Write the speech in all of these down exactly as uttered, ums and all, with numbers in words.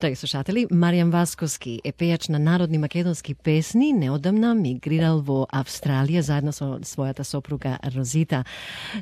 Тај слушатели, Маријан Васковски е пејач на народни македонски песни, неодамна мигрирал во Австралија заедно со својата сопруга Розита.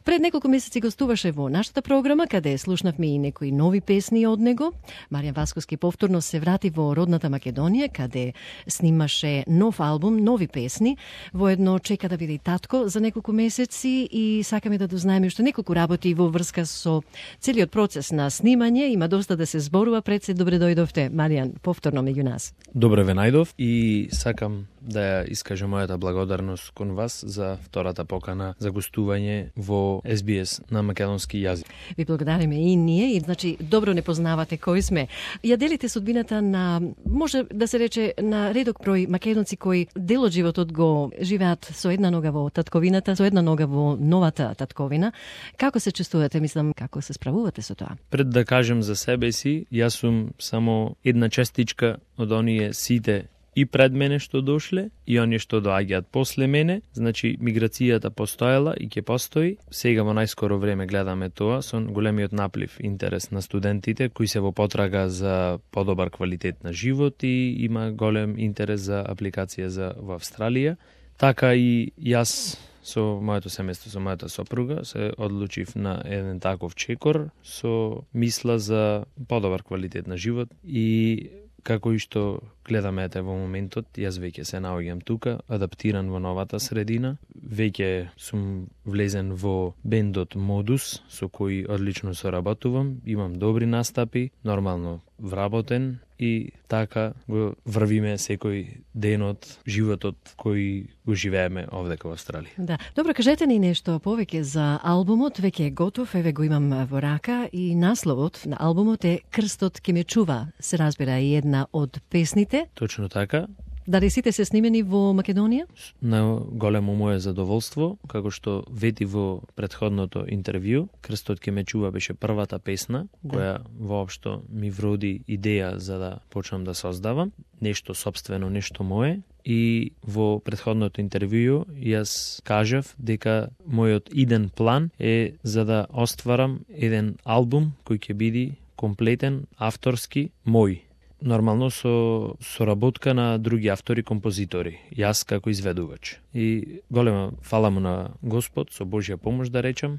Пред неколку месеци гостуваше во нашата програма, каде слушнавме и некои нови песни од него. Маријан Васковски повторно се врати во родната Македонија, каде снимаше нов албум, нови песни. Воедно чека да биде и татко за неколку месеци и сакаме да дознаеме уште неколку работи во врска со целиот процес на снимање. Има доста да се зборува. Пред се добре дојдовте, Маријан, повторно меѓу нас. Добре ве најдов и сакам да ја искажам мојата благодарност кон вас за втората покана за гостување во Ес Би Ес на македонски јазик. Ви благодариме и ние, и значи добро не познавате кои сме. Ја делите судбината на, може да се рече, на редок број македонци кои дел од животот го живеат со една нога во татковината, со една нога во новата татковина. Како се чувствувате, мислам, како се справувате со тоа? Пред да кажем за себе си, јас сум само една частичка од оние сите и пред мене што дошле, и оние што доаѓаат после мене. Значи, миграцијата постоела и ќе постои. Сега во најскоро време гледаме тоа со големиот наплив интерес на студентите кои се во потрага за подобар квалитет на живот и има голем интерес за апликација за во Австралија. Така и јас со моето семејство, со мојата сопруга, се одлучив на еден таков чекор со мисла за подобар квалитет на живот и како и што гледаме ете во моментот, јас веќе се наоѓам тука, адаптиран во новата средина. Веќе сум влезен во бендот Модус, со кој одлично соработувам, имам добри настапи, нормално вработен и така го врвиме секој ден од животот кој го живееме овдека во Австралија. Да. Добро, кажете ни нешто повеќе за албумот, веќе е готов, еве го имам во рака и насловот на албумот е Крстот ке ме чува, се разбира и една од песните. Точно така. Дали сите се снимени во Македонија? На големо моје задоволство, како што вети во претходното интервју, Крстот ке ме чува беше првата песна, да, која воопшто ми вроди идеја за да почнам да создавам нешто сопствено, нешто мое. И во претходното интервју јас кажав дека мојот иден план е за да остварам еден албум кој ќе биде комплетен, авторски, мој. Нормално со соработка на други автори, композитори, јас како изведувач. И голема фала му на Господ, со Божја помош да речам,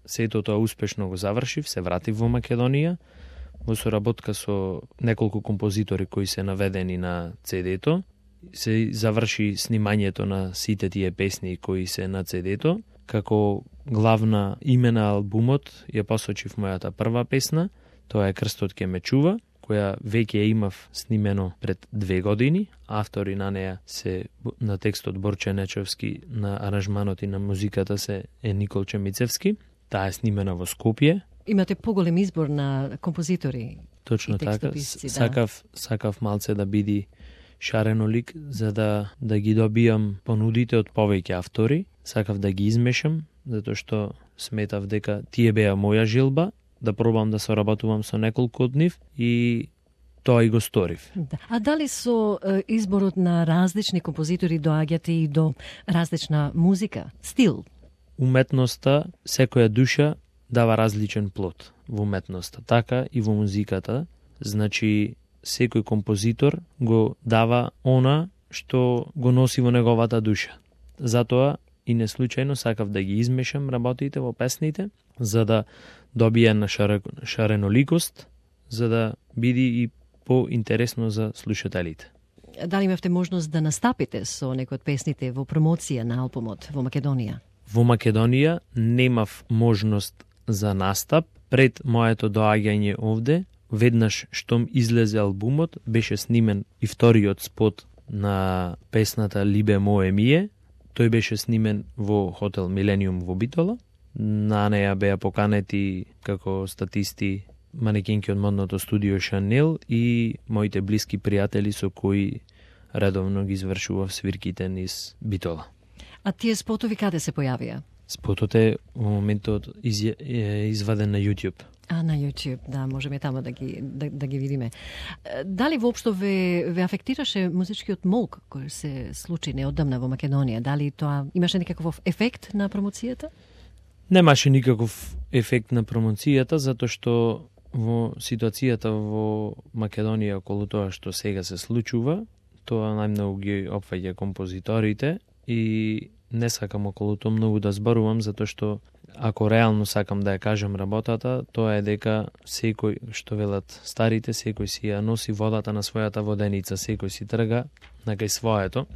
сето тоа успешно го завршив, се вратив во Македонија, во соработка со неколку композитори кои се наведени на цедето, се заврши снимањето на сите тие песни кои се на цедето. Како главна име на албумот ја посочив мојата прва песна, тоа е Крстот ке ме чува, која веќе ја имав снимено пред две години. Автори на неја се на текстот Борче Нечевски, на аранжманот и на музиката се е Николче Мицевски. Таа е снимена во Скопје. Имате поголем избор на композитори. Точно така. Да. Сакав, сакав малце да биде шаренолик, за да, да ги добијам понудите од повеќе автори. Сакав да ги измешам, затоа што сметав дека тие беа моја желба, да пробам да соработувам со неколку од нив и тоа и го сторив. Да. А дали со е, изборот на различни композитори доаѓате и до различна музика, стил? Уметноста, секоја душа дава различен плод во уметноста, така и во музиката. Значи, секој композитор го дава она што го носи во неговата душа. Затоа и не случајно сакав да ги измешам работите во песните, за да добие на шареноликост, за да биде и поинтересно за слушателите. Дали имавте можност да настапите со некои од песните во промоција на албумот во Македонија? Во Македонија немав можност за настап. Пред моето доаѓање овде, веднаш штом излезе албумот, беше снимен и вториот спот на песната Либе мое мие. Тој беше снимен во хотел Милениум во Битола. На неја беа поканети како статисти манекенки од модното студио Шанел и моите блиски пријатели со кои редовно ги извршував свирките низ Битола. А тие спотови каде се појавија? Спотот е во моментот из, е изваден на YouTube. А, на YouTube, да, можеме тамо да ги, да, да ги видиме. Дали воопшто ве, ве афектираше музичкиот молк кој се случи неодамна во Македонија? Дали тоа имаше некаков ефект на промоцијата? Немаше никаков ефект на промоцијата, затоа што во ситуацијата во Македонија околу тоа што сега се случува, тоа најмногу ги опфаќа композиторите и не сакам околу тоа многу да зборувам, затоа што ако реално сакам да ја кажам работата, тоа е дека секој, што велат старите, секој си ја носи водата на својата воденица, секој си трга на кај своето.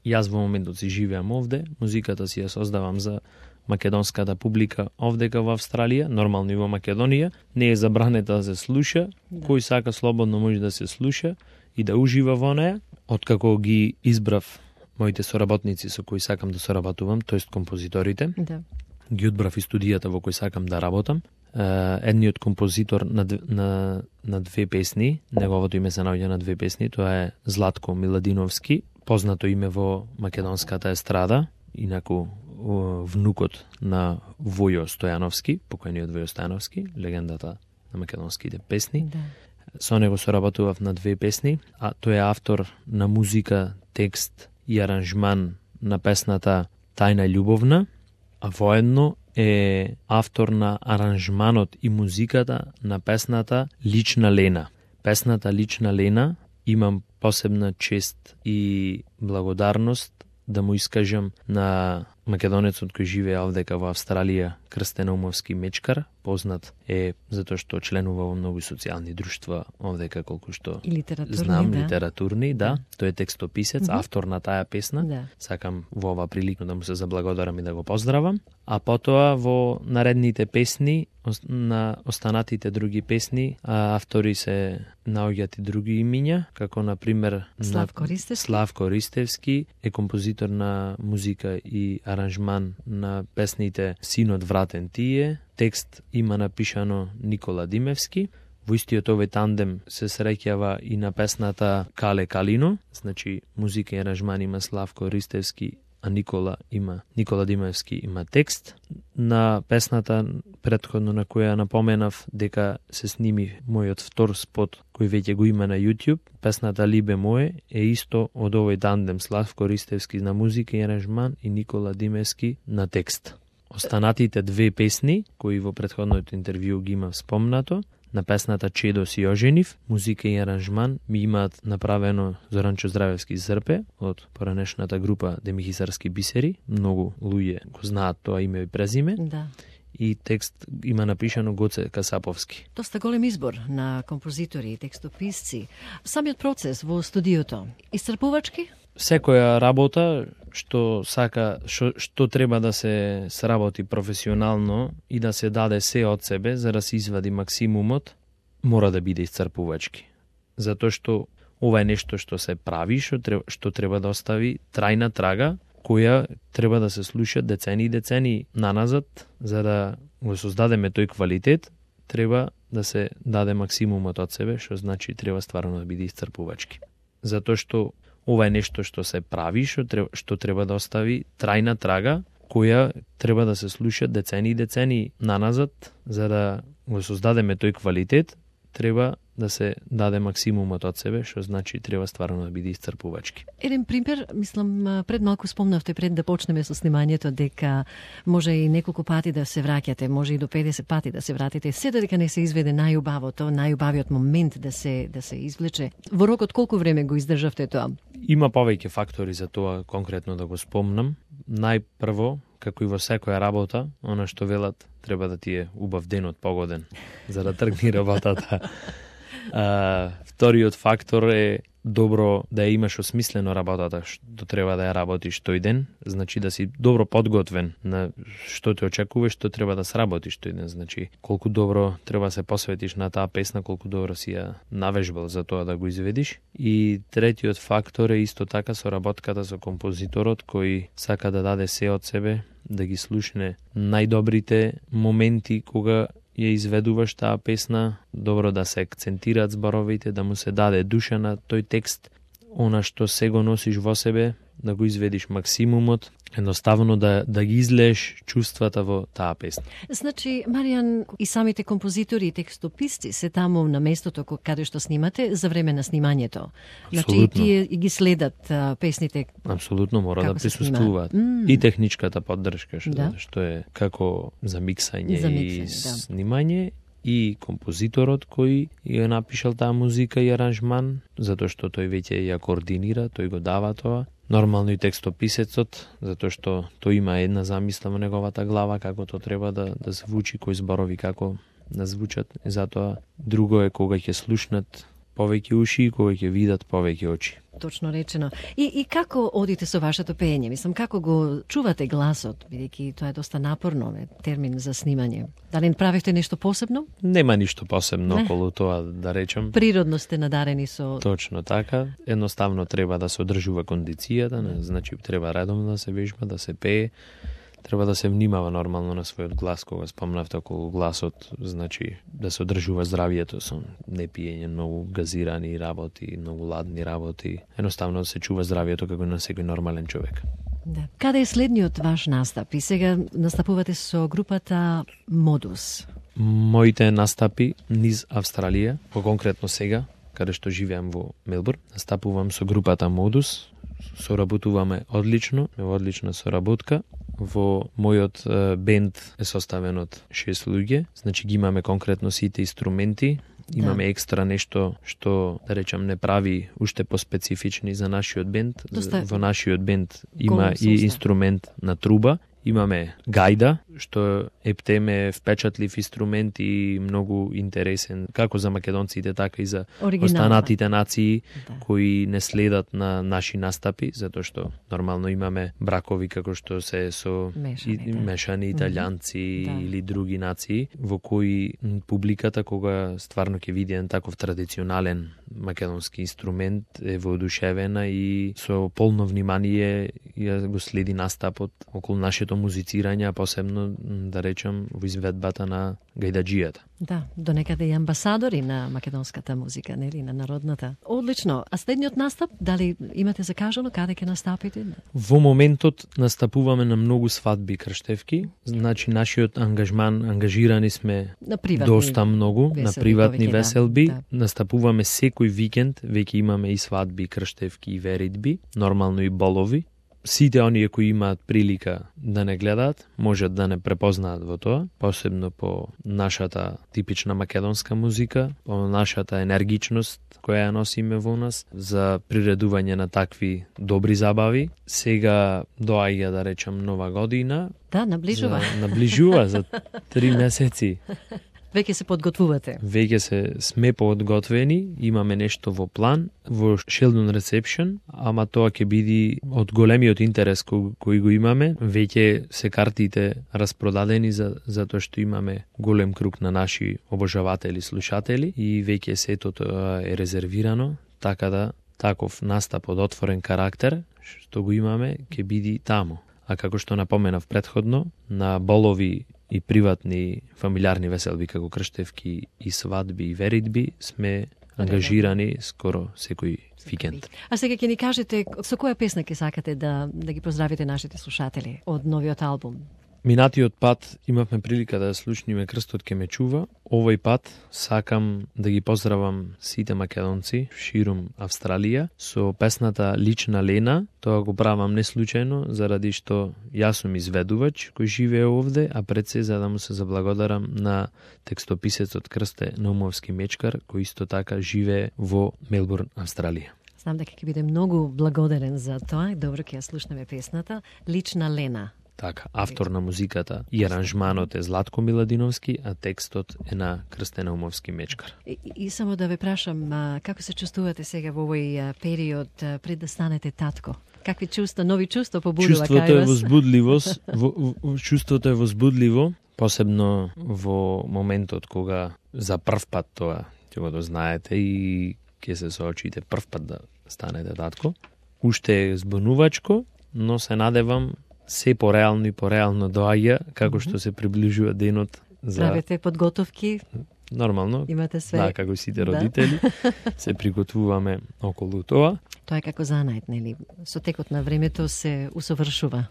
Јас во моментот си живеам овде, музиката си ја создавам за македонската публика овдека во Австралија, нормално и во Македонија, не е забранета да се слуша, да. Кој сака слободно може да се слуша и да ужива во неја. Откако ги избрав моите соработници со кои сакам да соработувам, тоест композиторите, да. Ги одбрав и студијата во кој сакам да работам. Едниот композитор на, на, на две песни, неговото име се наоѓа на две песни, тоа е Златко Миладиновски, познато име во македонската естрада, инаку внукот на Војо Стојановски, покојниот Војо Стојановски, легендата на македонските песни. Да. Со него соработував на две песни, а тој е автор на музика, текст и аранжман на песната Тајна љубовна, а воедно е автор на аранжманот и музиката на песната Лична Лена. Песната Лична Лена имам посебна чест и благодарност да му искажам на македонецот кој живее овдека во Австралија, Крстен Умовски Мечкар, познат е затоа што членува во многу социјални друштва овдека, колку што знам, да. литературни, да. Тој е текстописец, mm-hmm. автор на таа песна. Да. Сакам во ова прилика да му се заблагодарам и да го поздравам. А потоа во наредните песни, на останатите други песни, а автори се наоѓаат и други имиња, како на пример Славко Ристевски. Славко Ристевски е композитор на музика и аранжман на песните Синот вратен тие, текст има напишано Никола Димевски. Во истиот овој тандем се среќава и на песната Кале Калино, значи музика и аранжман има Славко Ристевски, а Никола има Никола Димевски има текст. На песната претходно на која напоменав дека се сними мојот втор спот кој веќе го има на YouTube, песната Либе мое е исто од овој тандем Славко Ристевски на музика и аранжман и Никола Димевски на текст. Останатите две песни кои во претходното интервју ги имав спомнато, на песната Чедо си оженив, музика и аранжман ми имаат направено Зоранчо Здравевски Зрпе од поранешната група Демихисарски бисери. Многу луѓе го знаат тоа име и презиме. Да. И текст има напишано Гоце Касаповски. Доста голем избор на композитори и текстописци. Самиот процес во студиото, исцрпувачки? Секоја работа што сака, што, што треба да се сработи професионално и да се даде се од себе за да се извади максимумот, мора да биде исцрпувачки. Затоа што ова е нешто што се прави, што треба, што треба да остави трајна трага, која треба да се слуша децени и децени наназад, за да го создадеме тој квалитет, треба да се даде максимумот од себе, што значи треба стварно да биде исцрпувачки. Затоа што ова е нешто што се прави, што треба, што треба да остави трајна трага, која треба да се слуша децени и децени наназад, за да го создадеме тој квалитет, треба да се даде максимумот од себе, што значи треба стварно да биде исцрпувачки. Еден пример, мислам, пред малку спомнавте пред да почнеме со снимањето дека може и неколку пати да се враќате, може и до педесет пати да се вратите, се додека не се изведе најубавото, најубавиот момент да се да се извлече. Во рок од колку време го издржавте тоа? Има повеќе фактори за тоа конкретно да го спомнам. Најпрво, како и во секоја работа, она што велат, треба да ти е убав денот погоден за да тргне работата. А, вториот фактор е добро да ја имаш осмислено работата што треба да ја работиш тој ден, значи да си добро подготвен на што те очекува, што треба да сработиш тој ден, значи колку добро треба се посветиш на таа песна, колку добро си ја навежбал за тоа да го изведиш. И третиот фактор е исто така соработката со композиторот кој сака да даде се од себе, да ги слушне најдобрите моменти кога ја изведуваш таа песна, добро да се акцентираат зборовите, да му се даде душа на тој текст, она што се го носиш во себе, да го изведиш максимумот, едноставно да, да ги излееш чувствата во таа песна. Значи, Маријан, и самите композитори и текстописци се таму на местото каде што снимате за време на снимањето. Значи, и тие ги следат а, песните. Апсолутно, мора да присуствуваат. Mm. И техничката поддршка, што, да? што е како за миксање, за миксање и да. снимање, и композиторот кој ја напишал таа музика и аранжман, затоа што тој веќе ја координира, тој го дава тоа. Нормално и текстописецот, затоа што тој има една замисла во неговата глава како тоа треба да да звучи, кои зборови како да звучат. И затоа друго е кога ќе слушнат повеќе уши и кога ќе видат повеќе очи. Точно речено. И, и како одите со вашето пеење? Мислам, како го чувате гласот, бидејќи тоа е доста напорно, е термин за снимање. Дали правите нешто посебно? Нема ништо посебно не. Околу тоа, да речем. Природно сте надарени со... Точно така. Едноставно треба да се одржува кондицијата, не? Значи треба редовно да се вежба, да се пее. Треба да се внимава нормално на својот глас, кога спомнавте околу гласот, значи да се одржува здравието со не пиење многу газирани работи, многу ладни работи. Едноставно да се чува здравието како на секој нормален човек. Да. Каде е следниот ваш настап? И сега настапувате со групата Модус. Моите настапи низ Австралија, по-конкретно сега, каде што живеам во Мелбурн, настапувам со групата Модус. Соработуваме одлично, во одлична соработка. Во мојот е, бенд е составен од шест луѓе, значи ги имаме конкретно сите инструменти, имаме да. екстра нешто што, да речам, не прави уште поспецифични за нашиот бенд. Доста... Во нашиот бенд има и инструмент на труба, имаме гајда, што ептеме впечатлив инструмент и многу интересен, како за македонците, така и за останатите нации, да. кои не следат на наши настапи, затоа што нормално имаме бракови како што се со мешани, и, да. мешани италијанци mm-hmm. или други нации, во кои публиката, кога стварно ќе види еден таков традиционален македонски инструмент, е воодушевена и со полно внимание ја го следи настапот околу нашето музицирање, а посебно, да речем, во изведбата на гајдаджијата. Да, до некаде и амбасадори на македонската музика, нели, на народната. Одлично. А следниот настап, дали имате закажано каде ќе настапите? Во моментот настапуваме на многу свадби крштевки, значи нашиот ангажман, ангажирани сме на доста многу, веселби, на приватни повеќе, веселби. Да, да. Настапуваме секој викенд, веќе имаме и свадби, крштевки и веридби, нормално и болови. Сите оние кои имаат прилика да не гледаат, можат да не препознаат во тоа, посебно по нашата типична македонска музика, по нашата енергичност која ја носиме во нас, за приредување на такви добри забави. Сега доаѓа, да речам, нова година. Да, наближува. За, наближува за три месеци. Веќе се подготвувате. Веќе се сме подготвени, имаме нешто во план, во Sheldon Reception, ама тоа ќе биде од големиот интерес кој, кој го имаме. Веќе се картите распродадени за затоа што имаме голем круг на наши обожаватели, слушатели и веќе сето тоа е резервирано, така да таков настап од отворен карактер што го имаме ќе биде таму. А како што напоменав претходно, на болови и приватни фамилиарни веселби како крштевки и свадби и веридби сме ангажирани скоро секој викенд. А сега ќе ни кажете со која песна ќе сакате да да ги поздравите нашите слушатели од новиот албум? Минатиот пат имавме прилика да слушниме Крстот ке ме чува. Овој пат сакам да ги поздравам сите македонци ширум Австралија со песната Лична Лена. Тоа го правам не случајно, заради што јас сум изведувач кој живее овде, а пред се за да му се заблагодарам на текстописецот Крсте Наумовски Мечкар, кој исто така живее во Мелбурн, Австралија. Знам дека ќе биде многу благодарен за тоа. Добро, ќе ја слушнеме песната Лична Лена. Така, автор на музиката и аранжманот е Златко Миладиновски, а текстот е на Крсте Наумовски Мечкар. И, и само да ве прашам, а, како се чувствувате сега во овој а, период а, пред да станете татко? Какви чувства, нови чувства побудува кај вас? Чувството е возбудливост, во, во, чувството е возбудливо, посебно во моментот кога за прв пат тоа ќе го дознаете и ќе се соочите прв пат да станете татко. Уште е збунувачко, но се надевам се пореално и пореално доаѓа како што се приближува денот за... Правите подготовки? Нормално. Имате све. Да, како сите родители. Да. Се приготвуваме околу тоа. Тоа е како занает, нели? Со текот на времето се усовршува.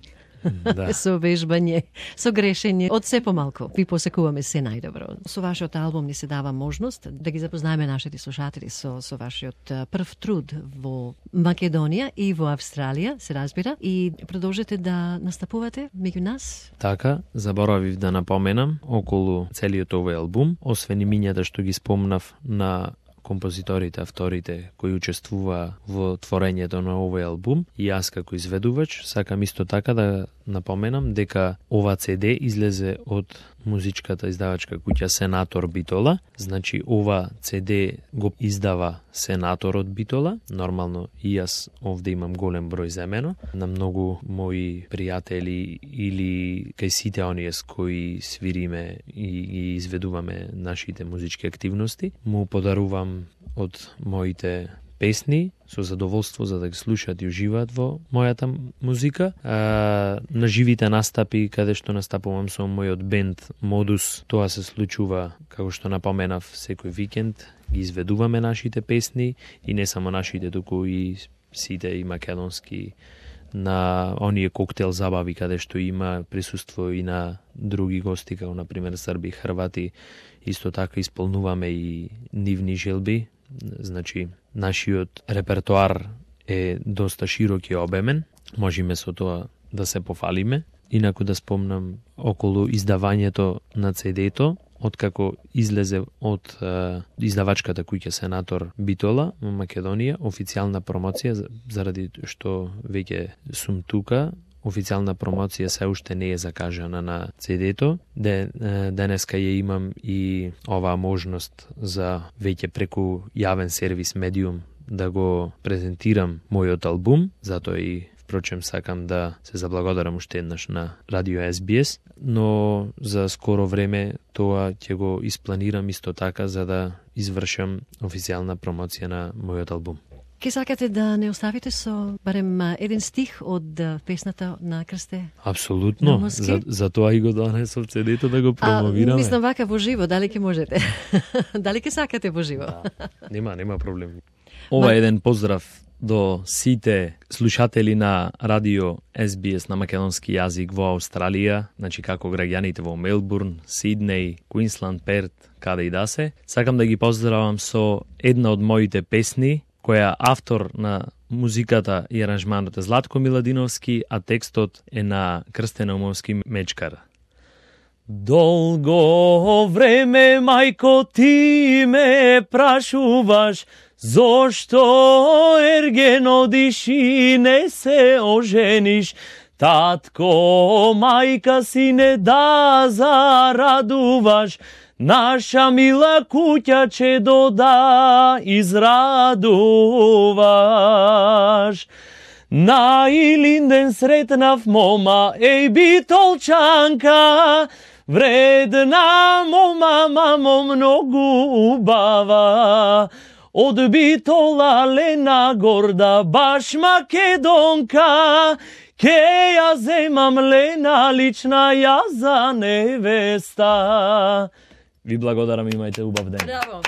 Да. Со вежбање, со грешење, од се помалку. Ви посекуваме се најдобро. Со вашиот албум ни се дава можност да ги запознаеме нашите слушатели со, со вашиот прв труд во Македонија и во Австралија, се разбира, и продолжете да настапувате меѓу нас. Така, заборавив да напоменам, околу целиот овој албум, освен имињата што ги спомнав на композиторите, авторите кои учествува во творењето на овој албум, и јас како изведувач сакам исто така да напоменам дека ова си ди излезе од музичката издавачка куќа Сенатор Битола. Значи ова си ди го издава Сенаторот Битола. Нормално и јас овде имам голем број земено на многу мои пријатели или кај сите оние с кои свириме и ги изведуваме нашите музички активности. Му подарувам од моите песни со задоволство за да ги слушаат и уживаат во мојата музика. А, на живите настапи каде што настапувам со мојот бенд Модус, тоа се случува како што напоменав секој викенд, ги изведуваме нашите песни и не само нашите, туку и сите и македонски на оние коктел забави каде што има присуство и на други гости, како на пример Срби, Хрвати. Исто така исполнуваме и нивни желби. Значи, нашиот репертоар е доста широк и обемен. Можеме со тоа да се пофалиме. Инаку да спомнам околу издавањето на си ди-то, откако излезе од е, издавачката куќа Сенатор Битола во Македонија, официјална промоција, заради што веќе сум тука, официјална промоција се уште не е закажана на си ди-то. Денеска ја имам и оваа можност за веќе преку јавен сервис медиум да го презентирам мојот албум, затоа и впрочем сакам да се заблагодарам уште еднаш на Радио Ес Би Ес, но за скоро време тоа ќе го испланирам исто така за да извршам официјална промоција на мојот албум. Ке сакате да не оставите со барем еден стих од песната на Крсте? Апсолутно, за, за тоа и го донесов си ди-то да го промовираме. А, мислам вака во живо, дали ке можете? Дали ке сакате во живо? Да, нема, нема проблем. Ова е еден поздрав до сите слушатели на Радио Ес Би Ес на македонски јазик во Австралија, значи како граѓаните во Мелбурн, Сиднеј, Квинсланд, Перт, каде и да се. Сакам да ги поздравам со една од моите песни, која автор на музиката и аранжманот е Златко Миладиновски, а текстот е на Крстен Наумовски Мечкар. Долго време, мајко, ти ме прашуваш, зошто ерген одиш и не се ожениш? Татко, мајка си не да зарадуваш, наша мила куќа че дода израдуваш. На Илинден сретнав мома, еј битолчанка, вредна мома, мамо, многу убава. Од Битола лена горда, баш македонка, ке ја земам лена лична ја за невеста. Ви благодарам, имајте убав ден. Браво!